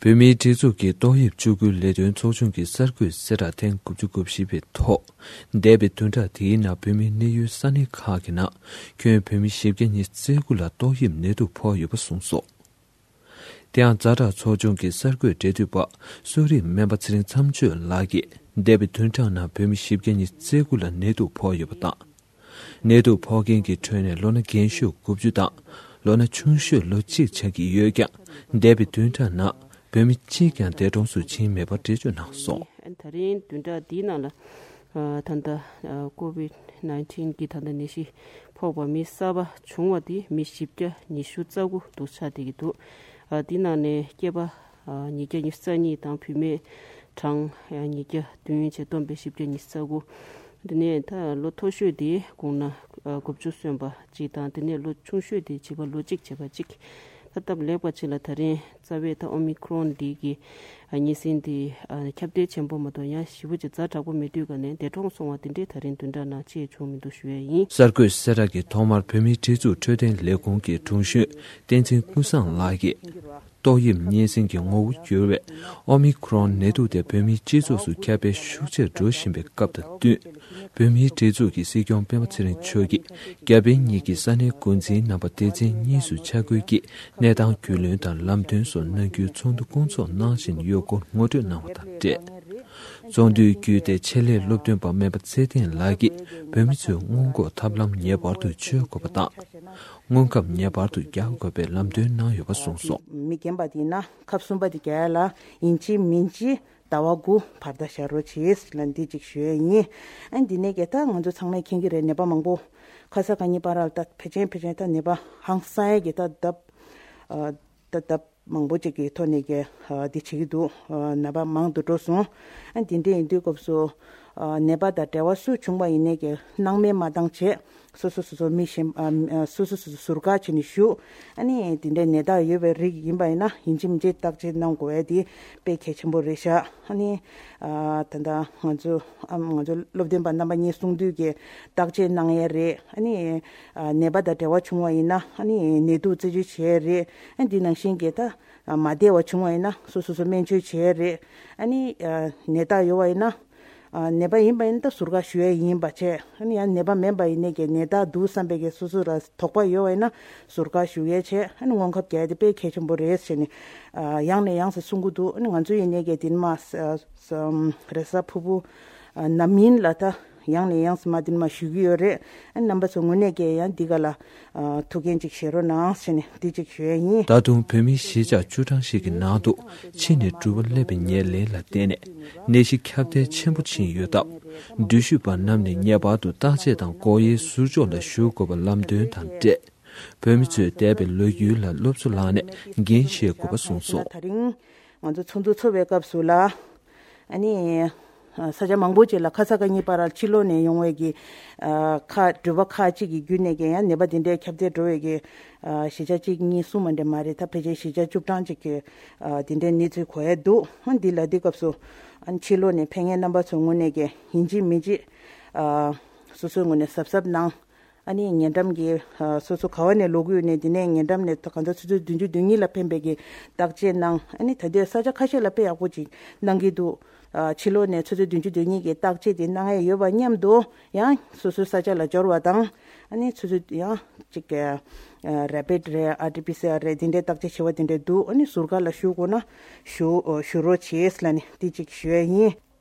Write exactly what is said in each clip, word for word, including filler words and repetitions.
བོད་མིའི་སྒྲིག་འཛུགས་ཀྱི་ཏོག་དབྱིབས་བཅུ་དགུའི་ལས་དོན་ཚོགས་ཆུང་གི་གསར་འགོད་གསལ་བསྒྲགས་ཐེངས་དགུ་བཅུ་གོ་བཞི་པའི་ཐོག་འདས་པའི་བདུན་ཕྲག་དེའི་ནང་བོད་མིའི་གནས་ཡུལ་ས་གནས་ཁག་གི་ནང་ཁྱོན་བོད་མི་བཞི་བརྒྱ་ཉི་ཤུ་རྩ་དགུ་ལ་ཏོག་དབྱིབས་ནད་དུག་ཕོག་ཡོད་པ་གསུངས་སོང་། དེ་ཡང་ཛ་དྲག་ཚོགས་ཆུང་གི་གསར་འགོད་འབྲེལ་མཐུད་པ་གསོ་རིག་སྨན་པ་ཚེ་རིང་མཚམས་གཅོད་ལགས་ཀྱིས་འདས་པའི་བདུན་ཕྲག་ནང་བོད་མི་བཞི་བརྒྱ་ཉི་ཤུ་རྩ་དགུ་ལ་ནད་དུག་ཕོག་ཡོད་པ་དང་། ནད་དུག་ཕོག་མཁན་གྱི་ཁྲོད་ནས་ལོ་ན་རྒན་ཤོས་དགུ་བཅུ་དང་ལོ་ན་ཆུང་ཤོས་ལོ་གཅིག་ཆགས་ཀྱི་ཡོད་ཀྱང་འདས་པའི་བདུན་ཕྲག་ནང་བོད་མི་གཅིག་ཀྱང་འདས་གྲོངས་སུ་ཕྱིན་མེད་པར་འགྲེལ་བརྗོད་གནང་སོང་། ད་རིང་བདུན་ཕྲག་འདིའི་ནང་ལ་ད་ལྟ་ཀོ་བིད་ནའིན་ཊིན་གྱི་ད་ལྟ་ནད་གཞི་ཕོག་པ་མི་གསར་པ་བྱུང་བ་དེ་མི་བཞི་བརྒྱ་ཉི་ཤུ་རྩ་དགུ་འདུག་ཆགས་བསྡད་ཀྱི་འདུག་འདི་ནང་ནས་སྐྱེས་པ་ཉིས་བརྒྱ་ཉི་ཤུ་རྩ་གཉིས་དང་བུད་མེད་གྲངས་ཉིས་བརྒྱ་བདུན་བཅས་བསྡོམས་པས་བཞི་བརྒྱ་ཉི་ཤུ་རྩ་དགུ། དེ་ནས་ད་ལོ་མཐོ་ཤོས་དེ་དགུང་ན་དགུ་བཅུ་སོན་པ་གཅིག་དང་དེ་ནས་ལོ་ཆུང་ཤོས་དེ་བྱིས་པ་ལོ་གཅིག་བྱས་པ་གཅིག་ད་སྟབས་ལེགས་པ་ཅིག་ལ་ད་རིང་རྩ་བའི་ད་ཨོ་མི་ཁྲོན་འདི་གི་གཉན་སྲིན་འདི་ཁྱབ་གདལ་ཆེན་པོ་མ་གཏོགས་ཡང་ཞེ་པོ་ཅིག་ཛ་དྲག་པོ་མེད་དུས་ག་ནས་འདས་གྲོངས་སོང་བ་དེ་འདྲས་ད་རིང་བདུན་ཕྲག་ནང་ཅིག་བྱུང་མི་འདུག་ཞུ་ཡས་ཡིན། གསར་འགོད་གསལ་བསྒྲགས་ཀྱི་ཐོག་མར་བོད་མིའི་སྒྲིག་འཛུགས་འཕྲོད་བསྟེན་ལས་ཁུངས་ཀྱི་དྲུང་གཞོན་བསྟན་འཛིན་ཀུན་བཟང་ལགས་ཀྱིས། ཏོག་དབྱིབས་གཉན་སྲིན་གྱི་ངོ་བོ་འགྱུར་བའི་ཨོ་མི་ཁྲོན་ནད་དུག་དེ་བོད་མིའི་སྤྱི་ཚོགས་སུ་ཁྱབ་སྤེལ་ཤུགས་ཆེར་འགྲོ་བཞིན་པའི་སྐབས་དང་བསྟུན། བོད་མིའི་སྒྲིག་འཛུགས་ཀྱི་སྲིད་སྐྱོང་སྤེན་པ་ཚེ་རིང་མཆོག་གིས་རྒྱ་བལ་གཉིས་ཀྱི་ས་གནས་འགོ་འཛིན་རྣམ་པ་སྡེ་ཚན་གཉིས་སུ་ཆ་བགོས་ཀྱིས་གནས་སྟངས་རྒྱུས་ལོན་དང་ལམ་སྟོན་སོགས་གནང་རྒྱུའི་ཚོགས་འདུ་སྐོང་ཚོགས་གནང་བཞིན་ཡོད་སྐོར་ངོ་སྤྲོད་གནང་བ་དང་འབྲེལ། ཚོགས་འདུའི་བརྒྱུད་དེ་ཆེད་ལས་སློབ་སྟོན་པ་སྨན་པ་ཚེ་བརྟན་ལགས་ཀྱིས་བོད་མི་ཚོས་སྔོན་འགོག་ཐབས་ལམ་ངེས་པར་དུ་བྱེད་དགོས་པ་དང་། སྔོན་ཁབ་ངེས་པར་དུ་རྒྱག་དགོས་པའི་ལམ་སྟོན་གནང་ཡོད་པ་གསུངས་སོང་། མི་རྒན་པ་དེ་ཡིན་ན་ཁབ་གསུམ་པ་དེ་རྒྱག་ཡ་ལ་ཡིན་གཅིག་མིན་གཅིག་ཟླ་བ་དགུ་བར་ད་བཞག་རོགས་བྱེད་ལ་འདི་གཅིག་ཞུ་ཡ་ཡིན། ཨ་འདི་ནས་ཀྱི་ད་ང་ཚོ་ཚང་མས་མཁྱེན་གྱི་རེད། ནད་པ་མང་པོ་ཁ་ས་ག་ཉིན་པ་ར་ད་ཕལ་ཆེར་ཕལ་ཆེར་ད་ནད་པ་ཧང་སང་ཡ་གི་ད་ལྡབ་ད་ལྡབ་མང་པོ་ཅིག་གི་ཐོག་ནས་ཀྱི་འདི་བྱེད་ཀྱི་འདུག་ནད་པ་མང་དུ་འགྲོ་སོང་། ཨ་འདི་འདྲ་ཡིན་དུས་སྐབས་སུ་ནད་པ་དང་འབྲེལ་བ་སུ་བྱུང་བ་ཡིན་ནས་ཀྱི་སྣང་མེད་མ་བཏང་བྱས། སོ་སོ་སོ་སོ་མི་གཞན་ཨ་སོ་སོ་སོ་སོ་ཟུར་བཀག་བྱས་ནས་བཞུགས། ཨ་ནི་དེ་འདྲའི་ནད་རྟགས་ཡོད་པའི་རིགས་ཡིན་པ་ཡིན་ན་ཡིན་གཅིག་མིན་གཅིག་བརྟག་དཔྱད་གནང་དགོས་ཡ་དེ་དཔེ་གལ་ཆེན་པོ་རེད་ཤག་ཨ་ནི་ཨ་ད་ལྟ་ང་ཚོ་ཨ་ང་ཚོ་སློབ་སྟོན་པ་རྣམ་པ་གཉིས་གསུང་དུས་ཀྱི་བརྟག་དཔྱད་གནང་ཡ་རེད། ཨ་ནི་ཨ་ནད་པ་དང་འབྲེལ་བ་བྱུང་བ་ཡིན་ན་ཨ་ནི་ནད་དུག་རྩད་གཅོད་བྱེད་ཡ་རེད། ཨ་འདི་ནང་བཞིན་གྱི་ད་མ་བདེ་བ་བྱུང་བ་ཡིན་ན་སོ་སོ་སོ་སྨན་བཅོས་བྱེད་ཡ་རེད། ཨ་ནི་ཨ་ནད་རྟགས་ཡོད་པ་ཡིན་ན། ཨ་ནད་པ་ཡིན་པ་ཡིན་ན་ད་ཟུར་བཀག་ཞུ་ཡས་ཡིན་པ་བྱས། ཨ་ནི་ཡང་ནད་པ་མིན་པ་ཡིན་ནའི་ཀྱི་ནད་རྟགས་འདུག་བསམ་པའི་ཀྱི་སོ་སོ་ལ་དོགས་པ་ཡོད་པ་ཡིན་ན་ཟུར་བཀག་ཞུ་ཡས་བྱས། ཨ་ནི་སྔོན་ཁབ་རྒྱག་ཡས་དེ་དཔེ་གལ་ཆེན་པོ་རེད་ཟེར་ནས་ཨ་ཡང་ནས་ཡང་སེ་གསུང་གི་འདུག་ཨ་ནི་ང་ཚོ་ཡིན་ནའི་ཀྱི་དེ་ནི་མ་ས་ས་རེས་གཟའ་ཕུར་བུ་ཨ་ནམ་ཡིན་ལ་ད་ཡང་ནས་ཡང་སེ་མ་དེ་ནི་མ་ཞུ་གི་ཡོད་རེད། ཨ་ནི་རྣམ་པ་ཚོ་ངོས་ནས་ཀྱི་ཡང་འདི་ག་ལ་ཨ་ཐུགས་འགན་ཅིག་བཞེས་རོགས་གནང་ཟེར་ནས་འདི་ཅིག་ཞུ་ཡས་ཡིན། ད་དུང་བོད་མི་གཞིས་ཆགས་བཅུ་གྲངས་ཤིག་གི་ནང་དུ་ཕྱི་ནས་འགྲུལ་པ་སླེབས་པའི་ཉེར་ལེན་ལ་བརྟེན་ནས་ནད་གཞི་ཁྱབ་གདལ་ཆེན་པོ་ཕྱིན་ཡོད་སྟབས། འགྲུལ་བཞུད་པ་རྣམས་ནས་ངེས་པར་དུ་བརྟག་དཔྱད་དང་སྒོ་དབྱེའི་ཟུར་ཕྱོགས་ལ་བཞུགས་དགོས་པ་ལམ་སྟོན་དང་འབྲེལ། བོད་མི་ཚོས་འདས་པའི་ལོ་རྒྱུས་ལ་སློབ་གསོ་བླངས་ནས་འགན་བཞེས་དགོས་པ་གསུངས་སོང་། ད་རིང་ང་ཚོ་ཚོགས་འདུ་ཚོགས་པའི་སྐབས་སུ་ལ། ཨ་ནི། ས་ཆ་མང་པོ་ཅིག་ལ་ཁ་ས་ག་ཉིན་པ་ར་ཕྱི་ལོགས་ནས་ཡོང་བའི་གི་ཁག་འགྲུལ་པ་ཁག་ཅིག་གི་བརྒྱུད་ནས་ཀྱི་ཡང་ནད་པ་དེ་འདྲའི་ཁྱབ་གདལ་འགྲོ་བའི་གི་གཞིས་ཆགས་གཅིག་གཉིས་གསུམ་མ་འདྲ་མ་རེད། ད་ཕལ་ཆེར་གཞིས་ཆགས་བཅུ་གྲངས་ཅིག་གི་དེ་འདྲའི་གནས་ཚུལ་གོ་ཡ་འདུག་འདི་ལ་འདི་སྐབས་སུ་ཕྱི་ལོགས་ནས་ཕེབས་མཁན་རྣམ་པ་ཚོའི་ངོས་ནས་ཀྱི་ཡིན་གཅིག་མིན་གཅིག་སོ་སོའི་ངོས་ནས་གཟབ་གཟབ་གནང་། ཨ་ནི་ཉེ་འགྲམ་གྱི་ཨ་སོ་སོ་ག་བ་ནས་ལོག་གི་ཡོད་ནས་དེ་ནས་ཉེ་འགྲམ་ནས་ད་གང་ལྟར་ཆུ་ཚོད་བདུན་ཅུ་དོན་གཉིས་ལ་ཕེབས་པའི་གི་བརྟག་དཔྱད་གནང་། ཨ་ནི་ད་ལྟའི་ས་ཆ་ཁ་ཤས་ལ་དཔེ་ཡག་པོ་ཅིག་གནང་གི་འདུག་ཨ་ཕྱི་ལོགས་ནས་ཆུ་ཚོད་བདུན་ཅུ་དོན་གཉིས་ཀྱི་བརྟག་དཔྱད་དེ་གནང་ཡས་ཡོད་པ་མཉམ་དུ་ཡང་སོ་སོའི་ས་ཆ་ལ་འབྱོར་བ་དང་། ཨ་ནི་ཆུ་ཚོད་ཡང་ཅིག་ཨ་རེ་པིད་རེད། ཨར་ཊི་པི་སི་ཨར་རེད། དེ་འདྲའི་བརྟག་དཔྱད་བྱེད་པ་དེ་འདྲ་འདུག་ཨ་ནི་ཟུར་བཀག་ལ་བཞུགས་དགོས་ན་བཞུགས་བཞུགས་རོགས་བྱེད་ལབ་ནས་དེ་ཅིག་ཞུ་ཡས་ཡིན།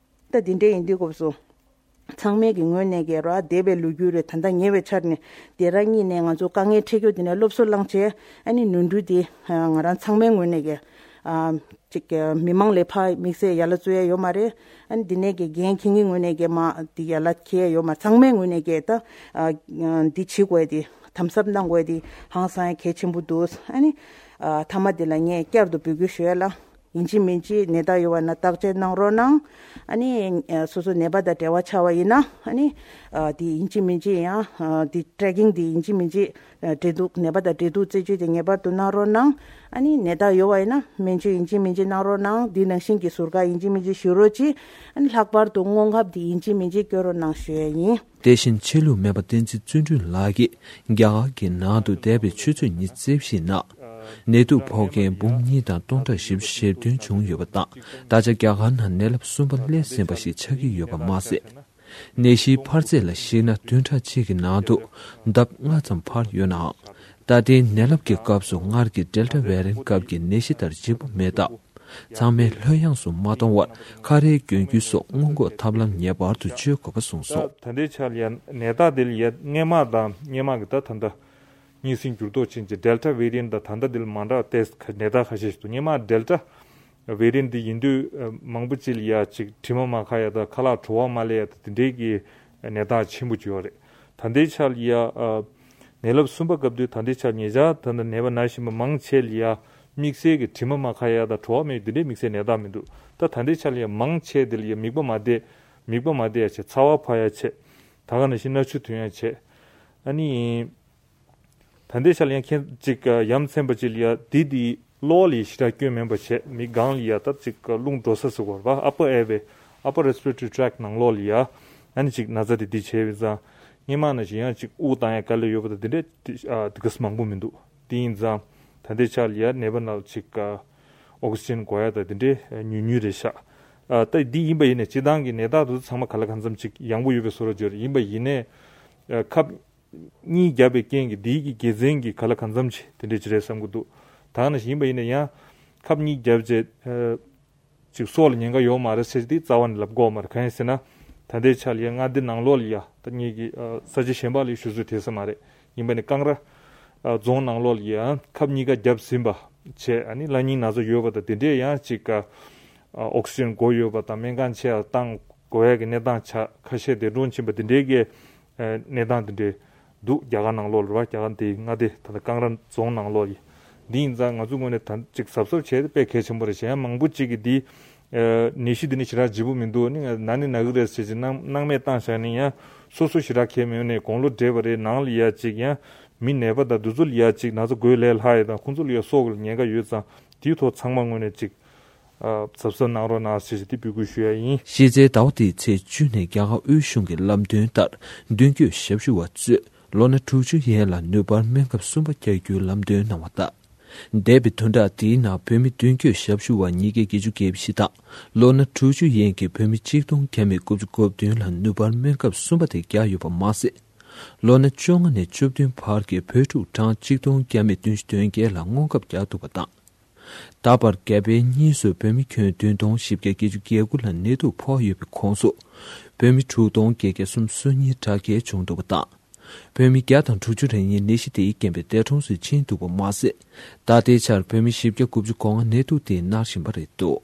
ད་དེ་འདྲ་ཡིན་དུས་སྐབས་སུ། ཚང་མའི་གི་ངོས་ནས་ཀྱི་ར་འདས་པའི་ལོ་རྒྱུས་རེད། ད་ལྟ་ཉེ་བའི་ཆར་ནས་དེ་ར་གཉིས་ནས་ང་ཚོ་དཀའ་ངལ་འཕྲད་རྒྱུ་དེ་ནས་སློབ་གསོ་བླངས་བྱས། ཨ་ནི་ནོར་འཁྲུལ་དེ་ང་རང་ཚང་མའི་ངོས་ནས་ཀྱི་ཨ་ཅིག་གི་མི་མང་ལས་ཕར་དམིགས་བསལ་ཡ་ལ་བཙུགས་ཡ་ཡོད་མ་རེད། ཨ་ནི་འདི་ནས་ཀྱི་འགན་འཁྱེར་མཁན་ངོས་ནས་ཀྱི་མ་འདི་ཡ་ལ་འཁྱེར་ཡ་ཡོད་མ། ཚང་མའི་ངོས་ནས་ཀྱི་ད་ཨ་འདི་བྱེད་དགོས་དེ་དམ་ཟབ་གནང་དགོས་དེ་ཧང་སང་ཡ་གལ་ཆེན་པོ་འདུག་ཨ་ནི་ཨ་མཐའ་མ་དེ་ལ་ངས་བསྐྱར་དུ་འབོད་སྐུལ་ཞུ་ཡ་ལ། ཡིན་གཅིག་མིན་གཅིག་ནད་རྟགས་ཡོད་པ་ན་བརྟག་དཔྱད་གནང་རོགས་གནང་། ཨ་ནི་ཨ་སོ་སོ་ནད་པ་དང་འབྲེལ་བ་ཆགས་པ་ཡིན་ན་ཨ་ནི་ཨ་དེ་ཡིན་གཅིག་མིན་གཅིག་ཡང་ཨ་དེ་ཊེ་རེ་ཀིང་དེ་ཡིན་གཅིག་མིན་གཅིག་ཨ་འབྲེལ་གཏུག་ནད་པ་དང་འབྲེལ་གཏུག་རྩད་གཅོད་དེ་ངེས་པར་དུ་གནང་རོགས་གནང་། ཨ་ནི་ནད་རྟགས་ཡོད་པ་ཡིན་ན་སྨན་བཅོས་ཡིན་གཅིག་མིན་གཅིག་གནང་རོགས་གནང་། དེ་ནང་བཞིན་གྱི་ཟུར་བཀག་ཡིན་གཅིག་མིན་གཅིག་ཞུ་རོགས་གྱིས། ཨ་ནི་ལྷག་པར་དུ་སྔོན་ཁབ་དེ་ཡིན་གཅིག་མིན་གཅིག་སྐྱོན་རོགས་གནང་ཞུ་ཡས་ཡིན། དེ་བཞིན་ཆོས་ལུགས་སྨན་པ་བསྟན་འཛིན་བརྩོན་འགྲུས་ལགས་ཀྱིས་རྒྱ་གར་གྱི་ནང་དུ་འདས་པའི་ཆུ་ཚོད་ཉི་ཤུ་རྩ་བཞིའི་ནང་ ནད་དུག་ཕོག་མཁན་འབུམ་གཉིས་དང་སྟོང་ཕྲག་བཞི་བཅུ་ཞེ་བདུན་བྱུང་ཡོད་པ་དང་། ད་ཆ་རྒྱ་གར་ནང་ནད་རླབས་གསུམ་པ་སླེབས་ཟིན་པ་ཞིག་ཆགས་ཀྱི་ཡོད་པ་མ་ཟད། ནད་གཞིའི་འཕར་ཚད་ལ་གཞིགས་ན་བདུན་ཕྲག་གཅིག་གི་ནང་དུ་ལྡབ་ལྔ་ཙམ་འཕར་ཡོད་ནའང་། ད་ལྟའི་ནད་རླབས་ཀྱི་སྐབས་སུ་སྔར་གྱི་ཌེལ་ཊ་ཝེ་རི་ཡན་ཊི་སྐབས་ཀྱི་ནད་གཞི་ལྟར་ལྗིད་པོ་མེད་སྟབས། ཚང་མས་ལྷོད་ཡངས་སུ་མ་གཏོང་བར་ཁ་རས་གྱོན་རྒྱུ་སོགས་སྔོན་འགོག་ཐབས་ལམ་ངེས་པར་དུ་སྤྱོད་དགོས་པ་གསུངས་སོང་། ད་ལྟའི་ཆར་ཡ་ནད་རྟགས་དེ་ལ་ཡ་སྔས་མ་དང་སྔས་མ་གི་ད་ད་ལྟ་གཉིས་སྲིང་འགྱུར་ལྡོག་ཕྱིན་ཅིང་ཌེལ་ཊ་ཝེ་རི་ཡན་ཊི་དང་ད་ལྟ་དེ་ལ་མ་འདྲ་བ་ཏེ་ནད་རྟགས་ཁ་ཤས་ཤིག་འདུག་སྔས་མ་ཌེལ་ཊ་ཝེ་རི་ཡན་ཊི་འདི་ཡིན་དུས་མང་པོ་ཅིག་ལ་ཡ་ཅིག་དྲི་མ་མ་ཁ་ཡ་དང་ཁ་ལག་བྲོ་བ་མ་སླེབས་ཡ་དང་དེ་འདྲའི་གི་ནད་རྟགས་ཆེན་པོ་ཅིག་ཡོད་རེད། ད་ལྟའི་ཆར་ལ་ཡ་ནད་རླབས་གསུམ་པ་སྐབས་དུས་ད་ལྟའི་ཆར་ཉེ་ཆར་ད་ལྟ་ནད་པ་ན་བཞིན་པ་མང་ཆེ་ལ་ཡ་དམིགས་བསལ་གྱི་དྲི་མ་མ་ཁ་ཡ་དང་བྲོ་བ་མེད་འདི་འདྲའི་དམིགས་བསལ་ནད་རྟགས་མི་འདུག་ད་ད་ལྟའི་ཆར་ལ་ཡ་མང་ཆེ་དེ་ལ་ཡ་མིད་པ་མ་བདེ་མིད་པ་མ་བདེ་ཡ་ཆེ། ཚ་བ་འཕར་ཡ་ཆེ། ད་ག་ནང་བཞིན་སྣ་ཆུ་ཐོན་ཡ་ཆེ། ཨ་ནི། ད་ལྟའི་ཆར་ལ་ཡང་ཁྱེད་ཅིག་ཡ་མཚན་པ་ཅིག་ལ་ཡ་དེ་དེ་གློ་ལ་ཞེ་དྲག་སྐྱོན་མེད་པ་བྱས། མིག་སྒང་ལ་ཡ་ད་ཅིག་རླུང་འགྲོ་ས་ཟེར་བ་རེད་པ། upper airway, upper respiratory tract ནང་ལོགས་ལ་ཡ་ཨ་ནི་ཅིག་ན་ཚ་དེ་འདི་བྱས་པའི་ཙང་སྔས་མ་ནང་བཞིན་ཡང་ཅིག་དབུགས་བཏང་ཡ་དཀའ་ལས་ཡོད་པ་དང་དེ་འདྲས་དེ་ག་ས་མང་པོ་མི་འདུག་དེ་ཡིན་ཙང་ད་ལྟའི་ཆར་ལ་ཡ་ནད་པ་ནང་ལ་ཅིག་ཨོག་སི་ཇན་དགོས་ཡ་དང་དེ་འདྲས་ཉུང་ཉུང་རེད་ཤག་ད་འདི་ཡིན་པ་ཡིན་ནས་སྤྱི་བཏང་གི་ནད་རྟགས་དེ་ཚོ་ཚང་མ་ག་ལ་གང་འཚམ་ཅིག་ཡང་པོ་ཡོད་པའི་བཟོ་འདྲ་ཅིག་ཡོད་རེད། ཡིན་པ་ཡིན་ནས་ཁབ་གཉིས་བརྒྱབ་པའི་རྐྱེན་གྱིས་འདིའི་གི་དགེ་མཚན་གྱི་ག་ལ་གང་འཚམ་ཅིག་དེ་འདྲས་ཅིག་རེད་བསམ་གྱི་འདུག་ད་ནང་བཞིན་ཡིན་པ་ཡིན་ན་ཡང་ཁབ་གཉིས་བརྒྱབ་རྗེས་ཅིག་སྲོག་ལ་ཉེན་ཁ་ཡོད་མ་རེད་ཟེར་དེ་རྩ་བ་ནས་ལབ་དགོས་མ་རེད། གང་ཡིན་ཟེར་ན་ད་ལྟའི་ཆ་ལ་ཡ་མངའ་སྡེ་ནང་ལོགས་ལ་ཡ་ད་ངེད་ཀྱི་ས་ཆ་གཞན་པ་ལ་ཞུ་ཚོད་དེ་ས་མ་རེད། ཡིན་པ་ནི་ཀང་ར་རྫོང་ནང་ལོགས་ལ་ཡ་ཁབ་གཉིས་ཀ་བརྒྱབ་ཟིན་པ་བྱས། ཨ་ནི་ལྷ་ཉིན་ན་ཚ་ཡོད་པ་དང་དེ་འདྲས་ཡང་ཅིག་ཨོག་སི་ཇན་དགོས་ཡོད་པ་དང་སྨན་ཁང་ཆེ་བ་བཏང་དགོས་ཡ་གི་གནས་སྟངས་ཆགས། ཁ་ཤས་འདས་གྲོངས་ཕྱིན་པ་དེ་འདྲའི་གི་གནས་སྟངས་དེ་འདྲའི་འདུག་རྒྱ་གར་ནང་ལོགས་ལ་རེད་པ། རྒྱ་གར་འདི་མངའ་སྡེ་ད་ལྟ་ཀང་ར་རྫོང་ནང་ལོགས་ཡིན། འདི་ཡིན་ཙང་ང་ཚོ་ངོས་ནས་ད་ཅིག་གཟབ་གཟབ་བྱས་ཏེ་དཔེ་གལ་ཆེན་པོ་རེད། གཞན་ཡང་མང་པོ་ཅིག་གིས་འདི་ནད་གཞི་འདི་ནི་ཞེ་དྲག་ལྗིད་པོ་མི་འདུག་ནི་ན་ནི་ན་གི་རེད་ཟེར་གྱི་སྣང་སྣང་མེད་བཏང་བཞག་ནས་ཡང་སོ་སོ་ཞེ་དྲག་གལ་མེད་ནས་དགུང་ལོ་བགྲེས་པ་རེད། ནང་ལ་ཡ་ཅིག་ཡང་མི་ནད་པ་དང་འདི་ཚོ་ལ་ཡ་ཅིག་ན་ཚ་འགོས་ལས་སླ་ཡ་དང་ཁོང་ཚོ་ལ་ཡ་སྲོག་ལ་ཉེན་ཁ་ཡོད་ཙང་དེའི་ཐོག་ཚང་མ་ངོས་ནས་ཅིག་གཟབ་གཟབ་གནང་རོགས་གནང་ཞེས་ཞེས་དེ་འབོད་སྐུལ་ཞུ་ཡ་ཡིན། གཞི་རྩའི་ཟླ་བ་འདིའི་ཚེས་བཅུ་ནས་རྒྱ་གར་དབུས་གཞུང་གི་ལམ་སྟོན་ལྟར་མདུན་སྐྱོད་ཞབས་ཞུ་བ་ཚོས་ལོ་ན་དྲུག་ཅུ་ཡན་ལ་ནུས་པར་སྨན་ཁབ་གསུམ་པ་རྒྱག་རྒྱུའི་ལམ་སྟོན་གནང་བ་དང་། འདས་པའི་བདུན་ཕྲག་འདིའི་ནང་བོད་མི་མདུན་སྐྱོད་ཞབས་ཞུ་བ་ཉིས་བརྒྱ་བརྒྱད་ཅུ་གྱ་བཞི་དང་ལོ་ན་དྲུག་ཅུ་ཡན་གྱི་བོད་མི་གཅིག་སྟོང་བརྒྱ་མེད་དགུ་བཅུ་གོ་བདུན་ལ་ནུས་པར་སྨན་ཁབ་གསུམ་པ་དེ་བརྒྱབ་ཡོད་པ་མ་ཟད། ལོ་ན་བཅོ་ལྔ་ནས་བཅུ་བདུན་བར་གྱི་བོད་ཕྲུག་གྲངས་གཅིག་སྟོང་བརྒྱ་མེད་བདུན་ཅུ་དོན་བརྒྱད་ལ་སྔོན་ཁབ་བརྒྱབ་འདུག་པ་དང་། ད་བར་རྒྱ་བལ་གཉིས་སུ་བོད་མི་ཁྱོན་བདུན་སྟོང་བཞི་བརྒྱ་བརྒྱད་ཅུ་གྱ་དགུ་ལ་ནད་དུག་ཕོག་ཡོད་པའི་ཁོངས་སུ། བོད་མི་དྲུག་སྟོང་བརྒྱད་བརྒྱ་སུམ་ཅུ་སོ་གཉིས་དྲག་སྐྱེད་བྱུང་འདུག་པ་དང་། བོད་མི་བརྒྱ་དང་དྲུག་ཅུ་རེ་གཉིས་ནད་གཞི་དེའི་རྐྱེན་པས་འདས་གྲོངས་སུ་ཕྱིན་འདུག་པ་མ་ཟད། ད་ལྟའི་ཆར་བོད་མི་བཞི་བརྒྱ་དགུ་བཅུ་གོ་ལྔ་ནད་དུག་དེས་མནར་བཞིན་པ་རེད་འདུག